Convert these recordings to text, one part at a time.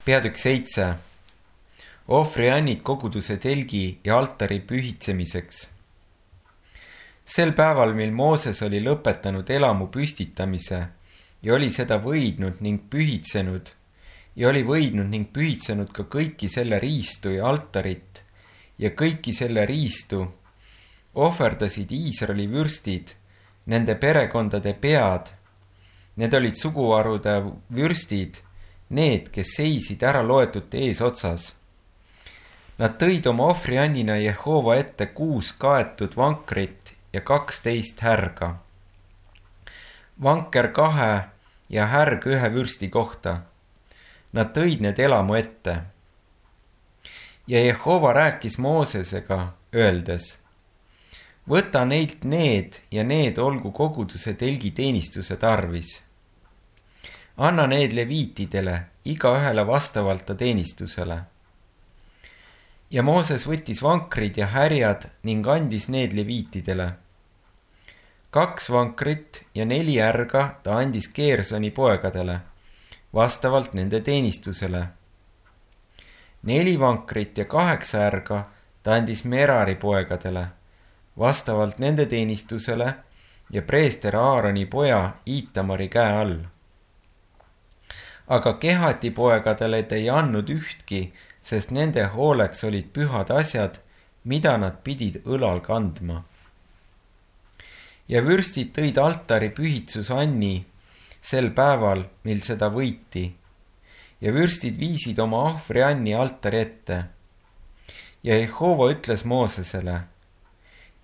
Peatükk 7. Ohvriannid koguduse telgi ja altari pühitsemiseks. Sel päeval, mil Mooses oli lõpetanud elamu püstitamise ja oli seda võidnud ning pühitsenud ka kõiki selle riistu ja altarit ja kõiki selle riistu, ohverdasid Iisraeli vürstid, nende perekondade pead. Need olid suguharude vürstid, need, kes seisid ära loetute eesotsas. Nad tõid oma ohvriannina Jehova ette 6 kaetud vankrit ja 12 härga. Vanker 2 ja härg 1 vürsti kohta. Nad tõid need elamu ette. Ja Jehova rääkis Moosesega, öeldes: võta neilt need ja need olgu koguduse telgi teenistuse tarvis. Anna need leviitidele, igaühele vastavalt ta teenistusele. Ja Mooses võttis vankrid ja härjad ning andis need leviitidele. 2 vankrit ja 4 härga ta andis Geersoni poegadele, vastavalt nende teenistusele. 4 vankrit ja 8 härga ta andis Merari poegadele, vastavalt nende teenistusele ja preester Aaroni poja Iitamari käe all. Aga Kehati poegadele ta ei andnud ühtki, sest nende hooleks olid pühad asjad, mida nad pidid õlal kandma. Ja vürstid tõid altari pühitsusanni sel päeval, mil seda võiti. Ja vürstid viisid oma ohvrianni altari ette. Ja Jehova ütles Moosesele: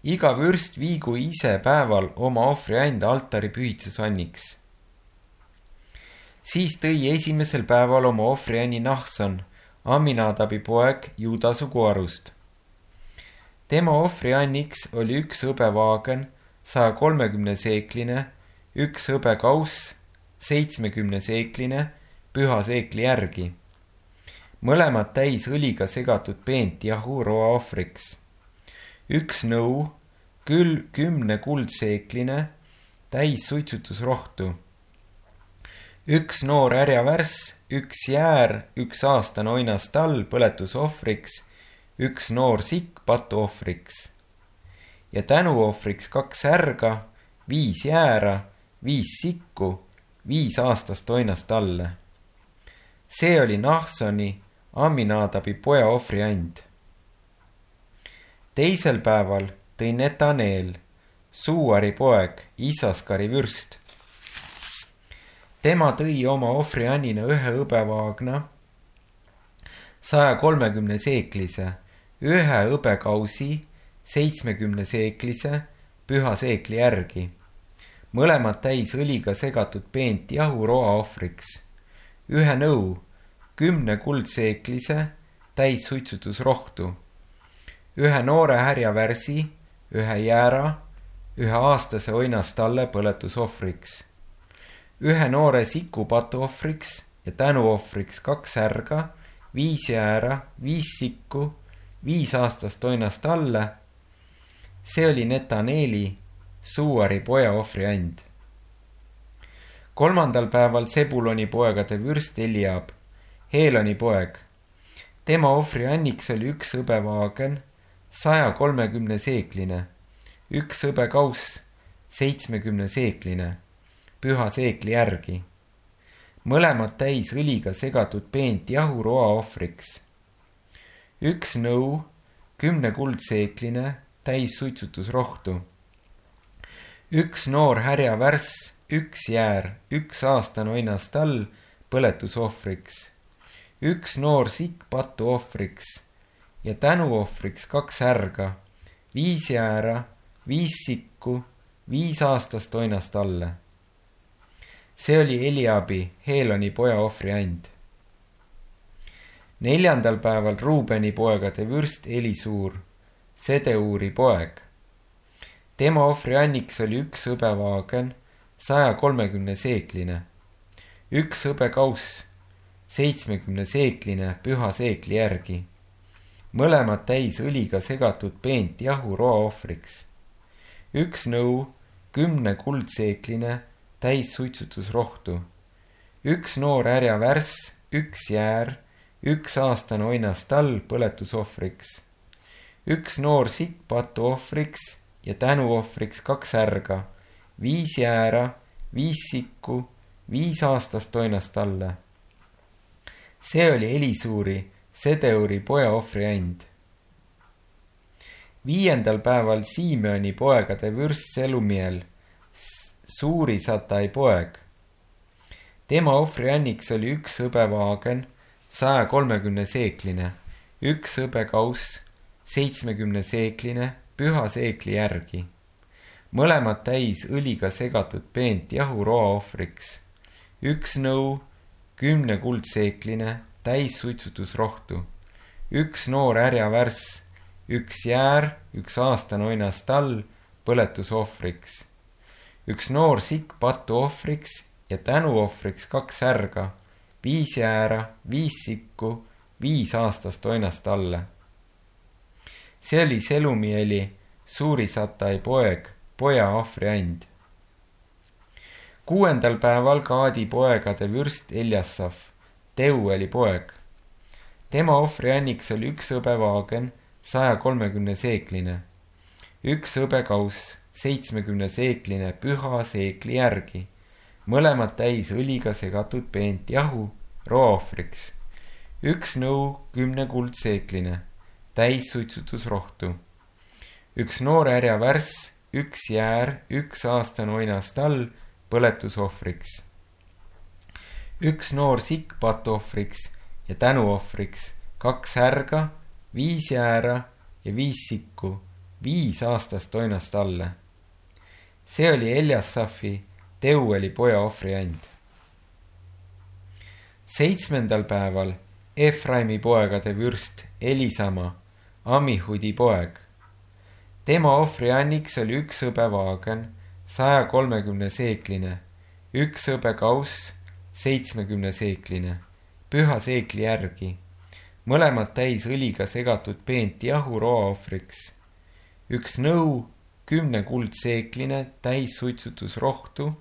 iga vürst viigu ise päeval oma ohvriand altari pühitsusanniks. Siis tõi esimesel päeval oma ohvrianni Nahson, Aminadabi poeg Juuda suguharust. Tema ohvrianniks oli 1 hõbevaagen, 130 seekline, 1 hõbekauss, 70 seekline, püha seekli järgi. Mõlemad täis õliga segatud peent jahu roa ohvriks. 1 nõu, küll 10 kuldseekline, täis suitsutusrohtu. 1 noor härjavärss, 1 jäär, 1 aastane oinastall põletusohvriks, 1 noor sikk patuohvriks. Ja tänuohvriks 2 härga, 5 jäära, 5 sikku, 5 aastast oinastalle. See oli Nahsoni, Aminadabi poja ohvriand. Teisel päeval tõi Netaneel, Suuari poeg, Isaskari vürst. Tema tõi oma ohvriannina 1 hõbevaagna, 130 seeklise, 1 hõbekausi, 70 seeklise, püha seekli järgi. Mõlemad täis õliga segatud peent jahu roa ohvriks. 1 nõu, 10 kuldseeklise, täis suitsutusrohtu. 1 noore härjavärsi, 1 jäära, 1 aastase oinastalle põletusohvriks. 1 noore siku patuohvriks ja tänuohvriks 2 härga, 5 jäära, 5 sikku, 5 aastast oinastalle. See oli Netaneeli, Suuari poja ohvriand. 3. päeval Sebuloni poegade vürst Eliab, Heeloni poeg. Tema ohvrianniks oli 1 hõbevaagen, 130 seekline, 1 hõbekauss, 70 seekline, püha seekli järgi. Mõlemad täis õliga segatud peent jahu roa ohvriks. 1 nõu, 10 kuldseekline, täis suitsutusrohtu. 1 noor härjavärss, 1 jäär, 1 aastane oinastall põletusohvriks. 1 noor sikk patuohvriks ja tänuohvriks 2 härga, 5 jäära, 5 sikku, 5 aastast oinastalle. See oli Eliabi, Heeloni poja ohvriand. 4. päeval Ruubeni poegade vürst Elisuur, Sedeuri poeg. Tema ohvrianniks oli 1 hõbevaagen, 130 seekline, 1 hõbekauss, 70 seekline, püha seekli järgi. Mõlemad täis õliga segatud peent jahu roa ohvriks. 1 nõu, 10 kuldseekline, täis suitsutusrohtu. 1 noor härjavärss, 1 jäär, 1 aastane oinastall põletusohvriks, 1 noor sikk patuohvriks ja tänuohvriks 2 ärga, 5 jäära, 5 sikku, 5 aastast oinastalle. See oli Elisuuri, Sedeuri poja ohvriand. 5. päeval Simeoni poegade vürst Selumiel, Suurisatai poeg. Tema ohvrianniks oli 1 hõbevaagen, 130 seekline, 1 hõbekauss, 70 seekline, püha seekli järgi. Mõlemad täis õliga segatud peent jahu roaohvriks, 1 nõu, 10 kuldseekline, täis suitsutusrohtu, 1 noor härjavärss, 1 jäär, 1 aastane oinastall põletusohvriks, 1 noor sikk patuohvriks ja tänuohvriks 2 ärga, 5 jäära, 5 sikku, 5 aastast oinastalle. See oli Selumieli, Suurisatai poja ohvriand. 6. päeval Gaadi poegade vürst Eljasaf, Teueli poeg. Tema ohvrianniks oli 1 hõbevaagen, 130 seekline, 1 hõbekauss, 70 seekline, püha seekli järgi. Mõlemad täis õliga segatud peent jahu roaohvriks, 1 nõu, 10 kuldseekline, täis suitsutusrohtu, 1 noor härjavärss, 1 jäär, 1 aastane oinastall põletusohvriks, 1 noor sikk patuohvriks ja tänuohvriks, 2 ärga, 5 jäära ja 5 sikku, 5 aastast oinastalle. See oli Eljasafi, Teueli poja ohvriand. 7. päeval Efraimi poegade vürst Elisama, Amihudi poeg. Tema ohvrianniks oli 1 hõbevaagen, 130 seekline, 1 hõbekauss, 70 seekline, püha seekli järgi. Mõlemad täis õliga segatud peent jahu roaohvriks, 1 nõu, 10 kuldseekline, täis suitsutusrohtu,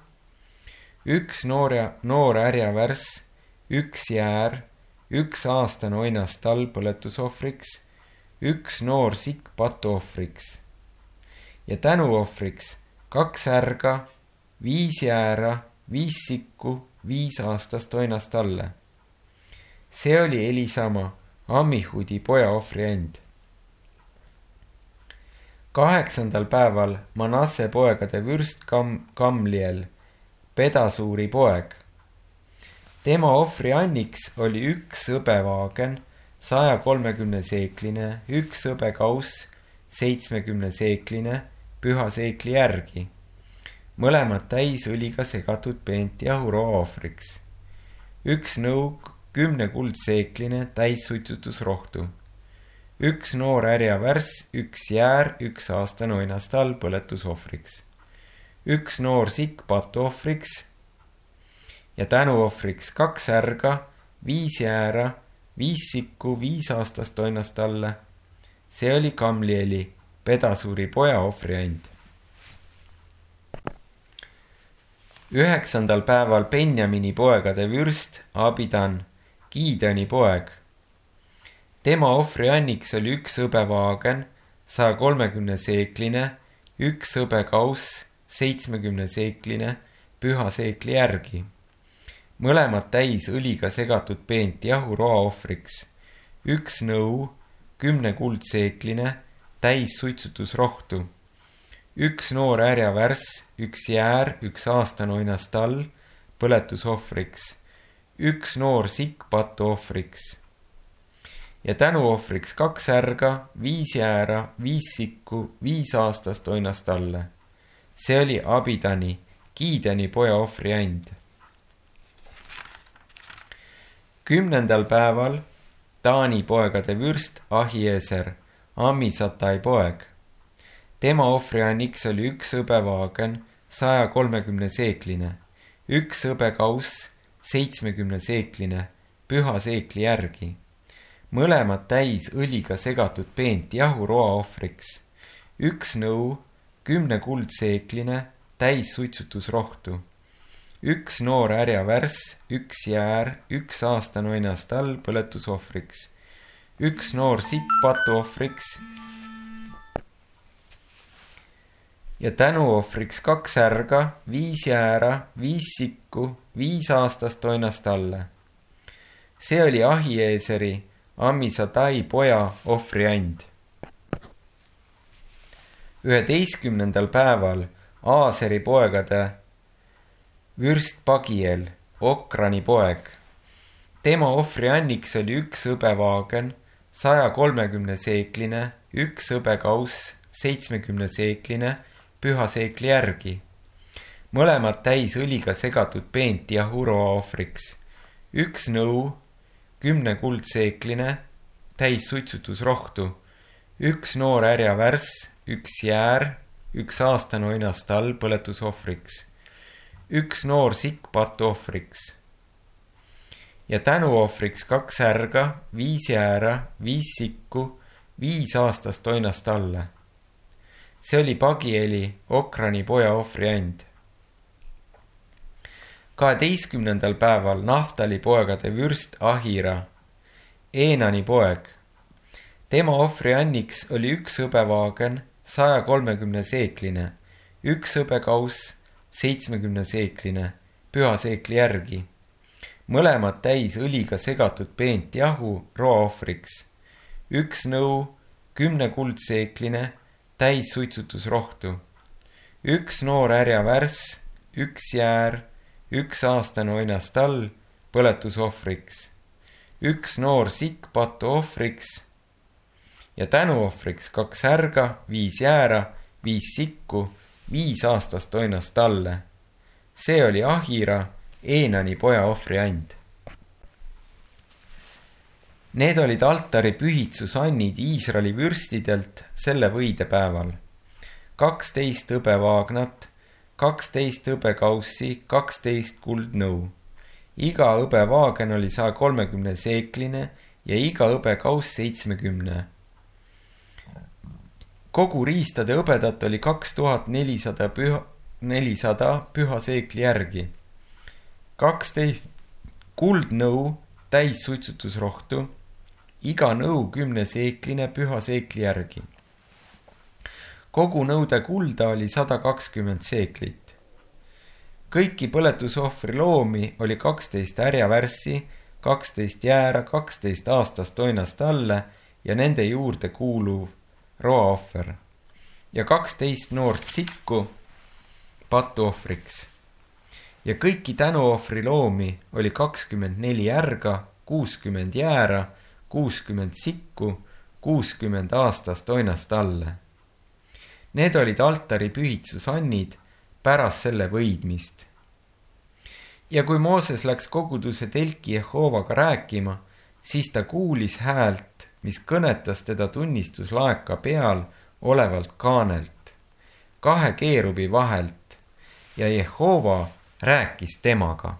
1 noor härjavärss, 1 jäär, 1 aastane oinastall põletusohvriks, 1 noor sikk patuohvriks ja tänuohvriks 2 ärga, 5 jäära, 5 sikku, 5 aastast oinastalle. See oli Elisama, Amihudi poja ohvriand. 8. päeval Manasse poegade vürst Gamliel, Pedasuuri poeg. Tema ohvrianniks oli 1 hõbevaagen, 130 seekline, 1 hõbekauss, 70 seekline, püha seekli järgi. Mõlemad täis õliga segatud peent jahu roaohvriks, 1 nõuk, 10 kuldseekline, täis suitsutusrohtu, 1 noor härjavärss, 1 jäär, 1 aastane oinastall põletusohvriks, 1 noor sikk patuohvriks ja tänuohvriks 2 ärga, 5 jäära, 5 sikku, 5 aastast oinastalle. See oli Gamlieli, Pedasuuri poja ohvriand. 9. päeval Benjamini poegade vürst Abidan, Gideoni poeg. Tema ohvrianniks oli 1 hõbevaagen, 130 seekline, 1 hõbekauss, 70 seekline, püha seekli järgi. Mõlemad täis õliga segatud peent jahu roaohvriks, 1 nõu, 10 kuldseekline, täis suitsutusrohtu, 1 noor härjavärss, 1 jäär, 1 aastane oinastall põletusohvriks, 1 noor sikk patuohvriks ja tänuohvriks 2 ärga, 5 jäära, 5 sikku, 5 aastast oinastalle. See oli Abidani, Gideoni poja ohvriand. 10. päeval Taani poegade vürst Ahieser, Amisatai poeg. Tema ohvrianniks oli 1 hõbevaagen, 130 seekline, 1 hõbekauss, 70 seekline, püha seekli järgi. Mõlemad täis õliga segatud peent jahu roaohvriks, 1 nõu, 10 kuldseekline, täis suitsutusrohtu, 1 noor härjavärss, 1 jäär, 1 aastane oinastall põletusohvriks, 1 noor sikk patuohvriks ja tänuohvriks 2 härga, 5 jäära, 5 sikku, 5 aastast oinastalle. See oli Ahieeseri, Ammisadai poja ohvriand. 11. päeval Aaseri poegade vürst Pagiel, Okrani poeg. Tema ohvrianniks oli 1 hõbevaagen, 130 seekline, 1 hõbekauss, 70 seekline, püha seekli järgi. Mõlemad täis õliga segatud peent jahu roaohvriks. 1 nõu, 10 kuldseekline, täis suitsutusrohtu. 1 noor härjavärss, 1 jäär, 1 aastane oinastall põletusohvriks. 1 noor sikk patuohvriks. Ja tänuohvriks 2 härga, 5 jäära, 5 sikku, 5 aastast oinastalle. See oli Pagieli, Okrani poja ohvriand. 12. päeval Naftali poegade vürst Ahira, Eenani poeg. Tema ohvrianniks oli 1 hõbevaagen, 130 seekline, 1 hõbekauss, 70 seekline, püha seekli järgi. Mõlemad täis õliga segatud peent jahu roaohvriks. 1 nõu, 10 kuldseekline, täis suitsutusrohtu. 1 noor härjavärss, 1 jäär, 1 aastane oinastall põletusohvriks. 1 noor sikk patuohvriks ja tänuohvriks 2 härga, 5 jäära, 5 sikku, 5 aastast oinastalle. See oli Ahira, Eenani poja ohvriand. Need olid altari pühitsusannid Iisraeli vürstidelt selle võidepäeval. 12 hõbevaagnat, 12 hõbekaussi, 12 kuldnõu. Iga hõbevaagen oli 130 seekline ja iga hõbekauss 70. Kogu riistade hõbedat oli 2400 püha seekli järgi. 12 kuldnõu täis suitsutusrohtu, iga nõu 10 seekline püha seekli järgi. Kogu nõude kulda oli 120 seeklit. Kõiki põletusohvri loomi oli 12 härjavärssi, 12 jäära, 12 aastast oinastalle ja nende juurde kuuluv roaohver ja 12 noort sikku patuohvriks. Ja kõiki tänuohvri loomi oli 24 härga, 60 jäära, 60 sikku, 60 aastast oinastalle. Need olid altari pühitsusannid pärast selle võidmist. Ja kui Mooses läks koguduse telki Jehoovaga rääkima, siis ta kuulis häält, mis kõnetas teda tunnistuslaeka peal olevalt kaanelt, 2 keerubi vahelt ja Jehova rääkis temaga.